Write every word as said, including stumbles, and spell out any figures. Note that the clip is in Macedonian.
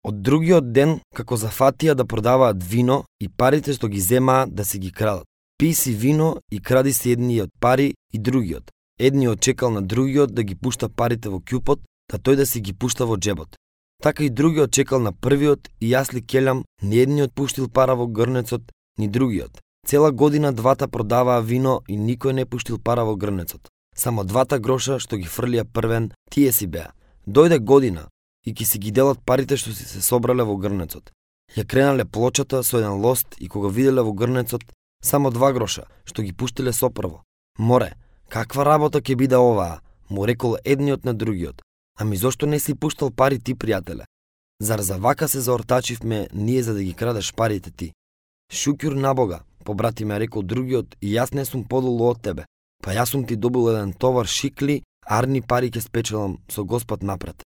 Од другиот ден, како зафатија да продаваат вино и парите што ги земаат да си ги крадат. Пи си вино и кради си едниот пари и другиот. Едниот чекал на другиот да ги пушта парите во ќупот, да тој да си ги пушта во джебот. Така и другиот чекал на првиот и јас ли келам, ни едниот пуштил пара во грнецот, ни другиот. Цела година двата продаваа вино и никој не пуштил пара во грнецот. Само двата гроша што ги фрлија првен, тие си беа. Дојде година и ки си ги делат парите што си се собрале во грнецот. Ја кренале плочата со еден лост и кога виделе во грнецот само два гроша што ги пуштиле сопрво. Море, каква работа ќе биде оваа, му рекол едниот на другиот. Ами зошто не си пуштал пари ти, пријателе? Зар за вака се заортачивме ние за да ги крадеш парите ти? Шукјур на Бога, побрати ме, рекол другиот, и јас не сум подолу од тебе. Па јас сум ти добил еден товар шикли, арни пари ќе спечелам со Господ напред.